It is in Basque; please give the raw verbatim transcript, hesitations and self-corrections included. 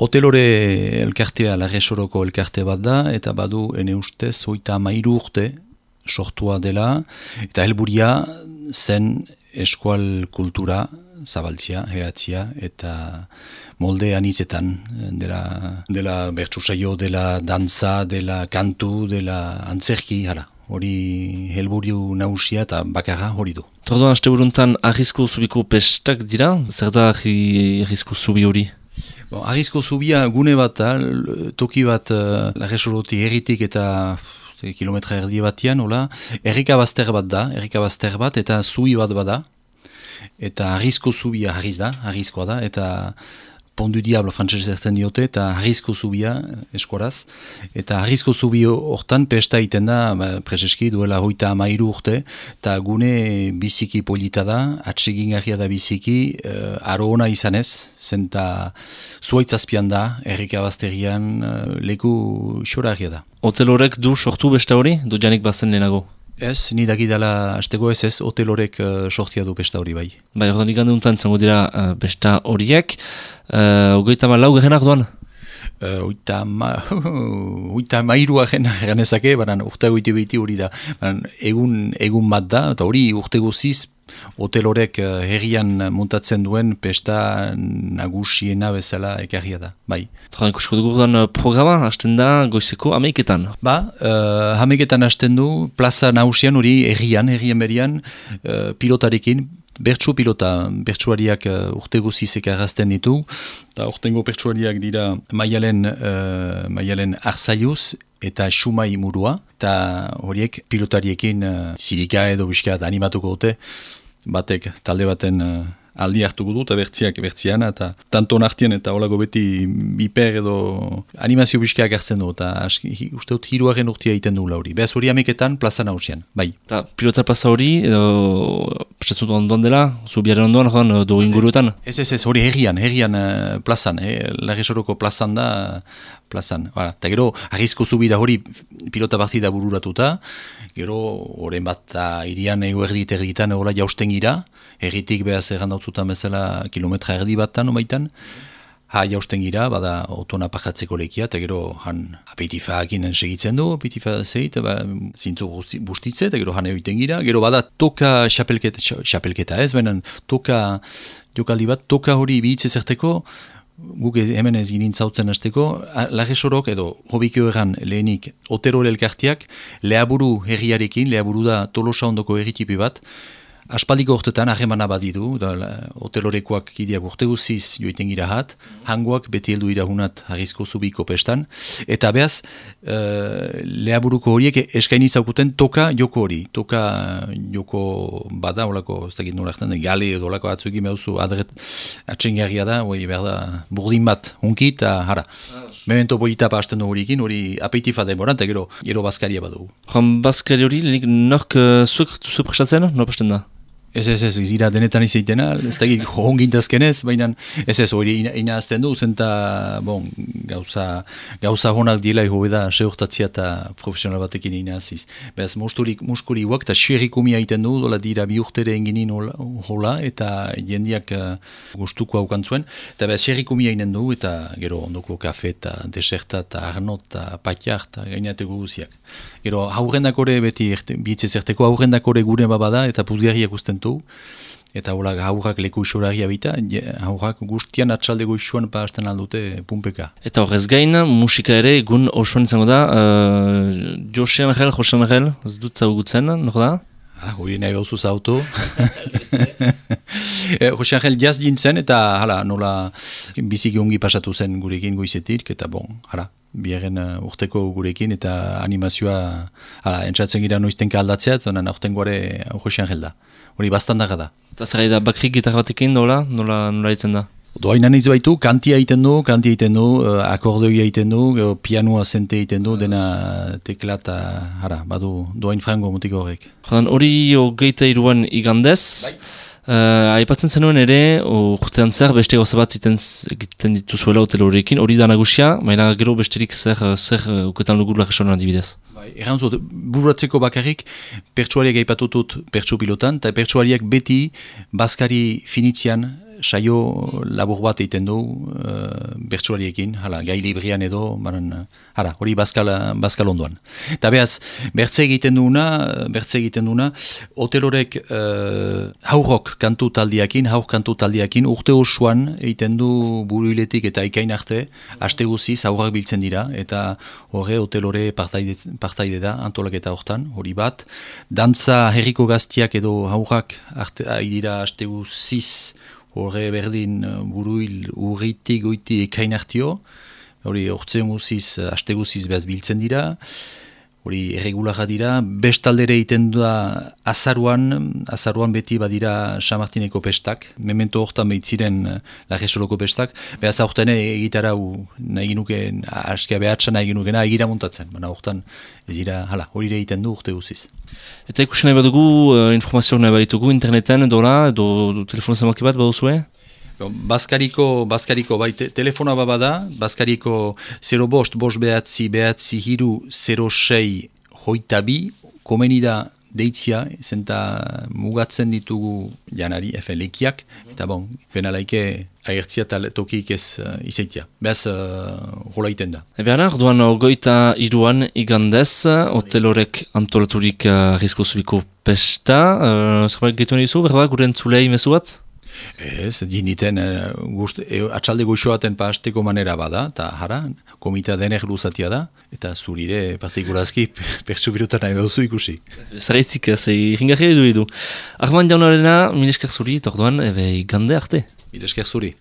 Hotelore elkartea Larresoroko elkarte bat da, eta badu ene ustez hogeita hamairu urte sortua dela, eta helburia zen eskual kultura zabaltzia, heatzia, eta molde anitzetan, dela, dela bertsu saio, dela dantza, dela kantu, dela antzerki, hala. Hori helburu nagusia eta bakarra hori du. Tordoan, aste buruntan Arrizko Zubiko pestak dira, zer da Arrizko Zubi hori? Bon, Arrizko Zubia gune bat da, toki bat uh, Larresoroti herritik eta kilometra erdi batian, hola, errika bazter bat da, errika bazter bat eta zubi bat bada, eta Arrizko Zubia harriz da, harrizkoa da, eta Pondu Diablo frantzese zerten diote, eta Arrizko Zubia eskuaraz, eta Arrizko Zubi hortan pesta iten da, ba, prezeski duela hogeita hamairu urte, eta gune biziki polita da, atsegingarria da biziki, uh, aro ona izanez, zenta zuaitzazpian da, errika bazterian, uh, leku xorarria da. Hotel horrek du sortu besta hori, du janik bazen lehenago? Ez, ni dakidala hasteko ez ez, hotel horrek uh, sortia du besta hori bai. Bai, ordan igande untan zango dira uh, besta horiek, uh, ogeita ma lau gehenak duan? Uh, oita ma, oita mairu agena ganezake, baina urte goiti behiti hori da. Baina egun, egun bat da, eta hori urte guziz, hotel horrek uh, herrian montatzen duen pesta nagusiena bezala ekarria da, bai. Troan ikusko dugu duan programa, hasten da goizeko hameiketan. Ba, uh, hameiketan hasten du, plaza nagusian hori herrian, herrian berian, uh, pilotarekin, bertsu pilota, bertsuariak uh, urte guzizek arrazten ditu, eta urtengo bertsuariak dira Maialen, uh, Maialen Arzaiuz, eta Xumai Murua, eta horiek pilotariekin uh, zirika edo biskat animatuko dute, batek talde baten uh, aldi hartuko du, eta bertziak bertziana, eta tanton artien eta holago beti biper edo animazio biskiak hartzen du, eta uste dut hiruaren urtia egiten du lauri. Beaz hori ameketan plaza nagusian, bai. Eta pilota plaza hori, edo prestatzen ondoan dela, zubiaren ondoan, joan, do inguruetan? Ez, ez, ez, hori herrian, herrian uh, plazan, eh? Larresoroko plazan da, plazan. Eta gero, Arrizko Zubi da hori pilota partida bururatuta, gero, horren bat irian ego erdit erditan hola jausten gira, erritik behaz errandautzutan bezala kilometra erdi batan omaitan, ha jausten gira, bada otona pajatzeko lekia, eta gero han apeitifakinen segitzen du, apeitifak zeit, ba, zintzu bustitze, eta gero han egoiten gira, gero bada toka xapelketa, xapelketa ez, benen toka jokaldi bat, toka hori bihitze zerteko, guk hemen ez ginen zautzen hasteko, Larresorok edo hobikio erran lehenik Otero elkartiak lehaburu herriarekin, lehaburu da Tolosa ondoko herritipi bat, aspaldiko urtetan ahemana badidu, hotelorekoak kideak urte guziz joiten gira hat, hangoak beti heldu irahunat Arrizko Zubiko pestan, eta behaz, e, lehaburuko horiek eskaini zaukuten toka joko hori, toka joko bada, olako, ez dakit noraktan, gale edo olako atzuekin behuzu adret atxengarria da, hori behar da, burdin bat, hunki eta hara. Memento boitapa hasten du horiekin, hori apeitifa demoran, eta gero, gero bazkaria badugu. Joan bazkari hori, lehenik nork uh, zuek duzu prestatzen, nor pasten da? Ez, ez, ez, zira denetan izaitena, ez da hongintazkenez, baina ez ez, hori ina azten du, zenta, bon, gauza, gauza honak dila ego da, seurtatzia eta profesional batekin ina aziz. Beraz, musturik, muskuri guak, eta xerrikumia egiten du, dola dira bi urtere enginin hola, eta jendiak uh, gustuko haukantzuen, eta beraz, xerrikumia egiten du, eta gero ondoko kafe, eta deserta, eta arnot, eta patiar, eta gainateko guziak. Gero, haurrendakore beti, bitze zerteko haurrendakore gure babada, eta puzgarriak usten du, eta hola haurrak leku isoragia bita, haurrak guztian atxalde goizuan parazten aldute pumpeka. Eta horrez gain, musika ere egun osoan izango da, uh, Jose Angel, Jose Angel, ez dut zaugutzen, nor da? Ah, hori nahi behuzuz auto. Jose Angel jaz dintzen, eta hala, nola biziki ongi pasatu zen gurekin goizetik, eta bon, hala, biaren uh, urteko gurekin, eta animazioa, hala, entzatzen gira noiztenka aldatzea, zonan aurten gore Jose Angel da. Hori bastandaga da. Eta zer da, bakrik gitarra batekin, nola, nola, nola egiten da? Doainan ez baitu, kantia egiten du, kantia egiten du, uh, akordeoia egiten du, uh, pianoa zente egiten du, dena tekla eta, hara, badu, doain frango mutiko horrek. Jodan, hori hogeita iruan igandez, uh, aipatzen zenuen ere, urtean zer, beste gauza bat egiten dituzuela hotel horrekin, hori da nagusia, maila gero besterik zer, zer uketan lugur Larresoran adibidez. Erran zut, bururatzeko bakarrik, pertsuariak aipatutut pertsu pilotan, eta pertsuariak beti bazkari finitzian saio labur bat egiten du uh, bertsuariekin, hala, gai librian edo, baran, hala, hori bazkal, bazkal ondoan. Eta behaz, bertze egiten duuna, bertze egiten duuna, hotelorek uh, haurrok kantu taldiakin, haur kantu taldiakin, urte osoan egiten du buruiletik eta ikain arte, aste guziz haurrak biltzen dira, eta horre hotelore partaide, partaide da, antolaketa hortan, hori bat. Dantza herriko gaztiak edo haurrak arte, dira aste guziz, horre berdin buruil urritik goiti ekain hartio, hori hortzen guziz, aste guziz behaz biltzen dira, hori erregularra dira, bestaldere egiten da azaruan, azaruan beti badira San Martineko pestak, memento hortan behitziren Larresoloko pestak, behaz horten egitara nahi ginuken, askia behatsa nahi ginukena egira montatzen, baina hortan ez dira, hala, hori ere egiten du urte guziz. Eta ikusten nahi badugu, uh, informazioak nahi baitugu interneten edola, edo telefona zamaki bat baduzue? Baskariko, Baskariko bai, te, telefonoa babada, Baskariko zero bost, bost behatzi, behatzi hiru, zero sei, hoita bi, komeni da deitzia, zenta mugatzen ditugu janari, efen lekiak, eta bon, penalaike agertzia eta tokik ez uh, izaitia. Beaz, uh, rola iten da. Ebean, orduan goita iruan igandez, hotelorek antolaturik uh, Arrizko Zubiko pesta, uh, zerbait gaitu nahi zu, berba, gure entzulei mezu bat? Ez, dinditen, e, atxalde goixoaten pasteko manera bada, eta jara, komita dener luzatia da, eta zurire partikurazki pertsu birutan nahi behuzu ikusi. Zaraitzik, ez, irringarria edu edu. Arman jaunarena, mil esker zuri, eta orduan, ebe, igande arte. Mil esker zuri.